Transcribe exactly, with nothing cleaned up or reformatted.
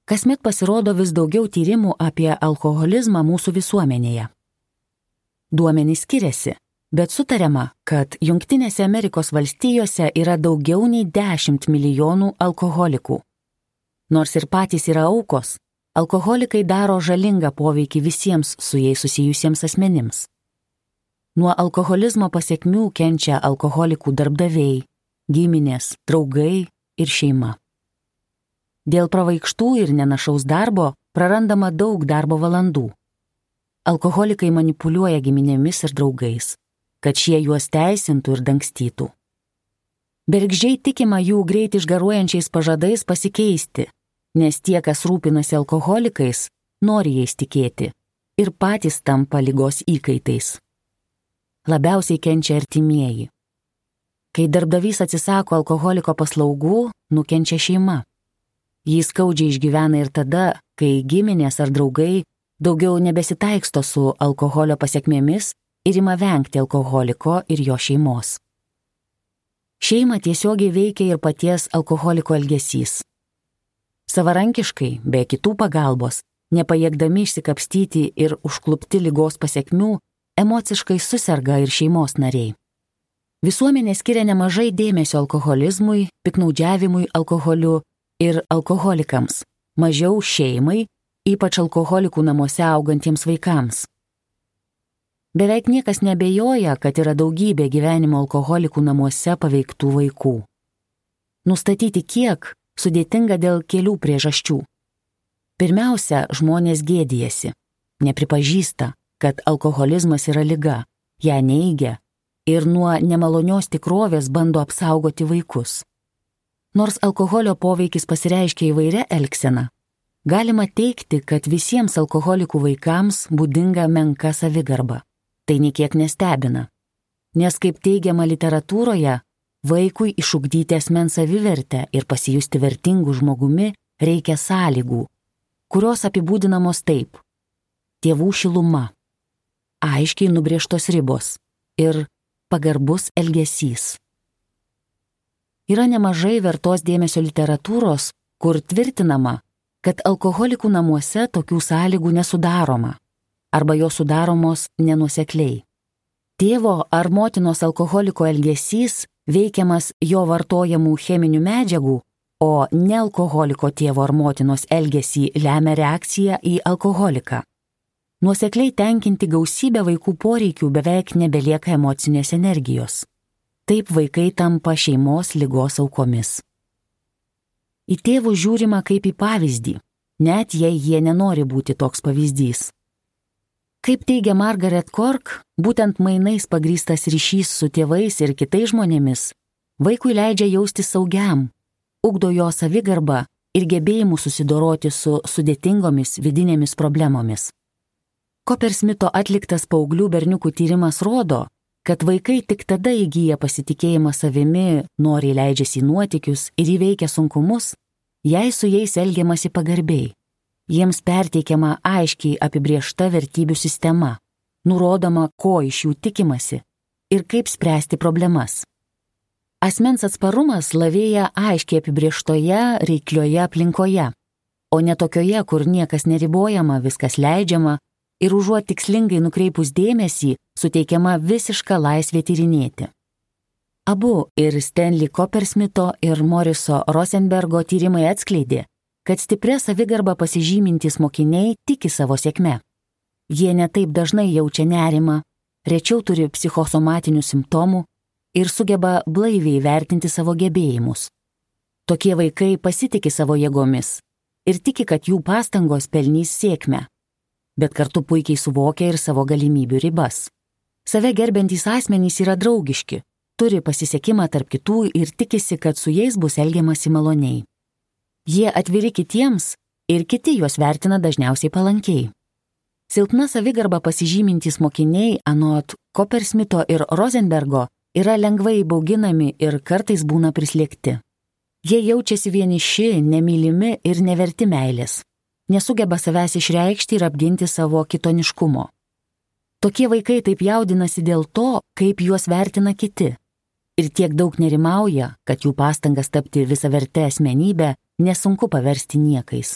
Kasmet pasirodo vis daugiau tyrimų apie alkoholizmą mūsų visuomenėje. Duomenys skiriasi, bet sutariama, kad Jungtinėse Amerikos valstijose yra daugiau nei dešimt milijonų alkoholikų. Nors ir patys yra aukos, alkoholikai daro žalingą poveikį visiems su jais susijusiems asmenims. Nuo alkoholizmo pasekmių kenčia alkoholikų darbdaviai, giminės, draugai ir šeima. Dėl pravaikštų ir nenašaus darbo prarandama daug darbo valandų. Alkoholikai manipuliuoja giminėmis ir draugais, kad šie juos teisintų ir dangstytų. Bergždžiai tikima jų greit išgaruojančiais pažadais pasikeisti, nes tie, kas rūpinasi alkoholikais, nori jais tikėti ir patys tampa ligos įkaitais. Labiausiai kenčia artimieji. Kai darbdavys atsisako alkoholiko paslaugų, nukenčia šeima. Jį skaudžiai išgyvena ir tada, kai giminės ar draugai daugiau nebesitaiksto su alkoholio pasekmėmis ir ima vengti alkoholiko ir jo šeimos. Šeimą tiesiogiai veikia ir paties alkoholiko elgesys. Savarankiškai, be kitų pagalbos, nepajėgdami išsikapstyti ir užklupti ligos pasekmių, emociškai suserga ir šeimos nariai. Visuomenė skiria nemažai dėmesio alkoholizmui, piknaudžiavimui alkoholiu ir alkoholikams, mažiau šeimai, ypač alkoholikų namuose augantiems vaikams. Beveik niekas nebejoja, kad yra daugybė gyvenimo alkoholikų namuose paveiktų vaikų. Nustatyti kiek sudėtinga dėl kelių priežasčių. Pirmiausia, žmonės gėdijasi, nepripažįsta, kad alkoholizmas yra liga, ją neigia ir nuo nemalonios tikrovės bando apsaugoti vaikus. Nors alkoholio poveikis pasireiškia įvairia elgsena, galima teigti, kad visiems alkoholikų vaikams būdinga menka savigarba. Tai niekiek nestebina, nes kaip teigiama literatūroje, vaikui išugdyti asmens savivertę ir pasijusti vertingų žmogumi reikia sąlygų, kurios apibūdinamos taip: tėvų šiluma, aiškiai nubrėžtos ribos ir pagarbus elgesys. Yra nemažai vertos dėmesio literatūros, kur tvirtinama, kad alkoholikų namuose tokių sąlygų nesudaroma arba jos sudaromos nenuosekliai. Tėvo ar motinos alkoholiko elgesys veikiamas jo vartojamų cheminių medžiagų, o nealkoholiko tėvo ar motinos elgesį lemia reakcija į alkoholiką. Nuosekliai tenkinti gausybę vaikų poreikių beveik nebelieka emocinės energijos. Taip vaikai tampa šeimos ligos aukomis. Į tėvus žiūrima kaip į pavyzdį, net jei jie nenori būti toks pavyzdys. Kaip teigia Margaret Cork, būtent mainais pagrįstas ryšys su tėvais ir kitais žmonėmis vaikui leidžia jaustis saugiam, ugdo jo savigarbą ir gebėjimų susidoroti su sudėtingomis vidinėmis problemomis. Coppersmito atliktas paauglių berniukų tyrimas rodo, kad vaikai tik tada įgyja pasitikėjimą savimi, noriai leidžiasi į nuotykius ir įveikia sunkumus, jei su jais elgiamasi pagarbiai. Jiems perteikiama aiškiai apibrėžta vertybių sistema, nurodoma, ko iš jų tikimasi ir kaip spręsti problemas. Asmens atsparumas lavėja aiškiai apibrėžtoje, reiklioje aplinkoje, o ne tokioje, kur niekas neribojama, viskas leidžiama ir užuot tikslingai nukreipus dėmesį, suteikiama visiška laisvė tyrinėti. Abu ir Stanley Coppersmito ir Moriso Rosenbergo tyrimai atskleidė, kad stiprią savigarbą pasižymintys mokiniai tiki savo sėkme. Jie netaip dažnai jaučia nerimą, rečiau turi psichosomatinių simptomų ir sugeba blaiviai vertinti savo gebėjimus. Tokie vaikai pasitiki savo jėgomis ir tiki, kad jų pastangos pelnys sėkmę, bet kartu puikiai suvokia ir savo galimybių ribas. Save gerbiantys asmenys yra draugiški, turi pasisekimą tarp kitų ir tikisi, kad su jais bus elgiamasi maloniai. Jie atviri kitiems ir kiti juos vertina dažniausiai palankiai. Silpna savigarba pasižymintys mokiniai, anot Coppersmito ir Rosenbergo, yra lengvai bauginami ir kartais būna prislėgti. Jie jaučiasi vieniši, nemylimi ir neverti meilės. Nesugeba savęs išreikšti ir apginti savo kitoniškumo. Tokie vaikai taip jaudinasi dėl to, kaip juos vertina kiti. Ir tiek daug nerimauja, kad jų pastangas tapti visaverte asmenybę nesunku paversti niekais.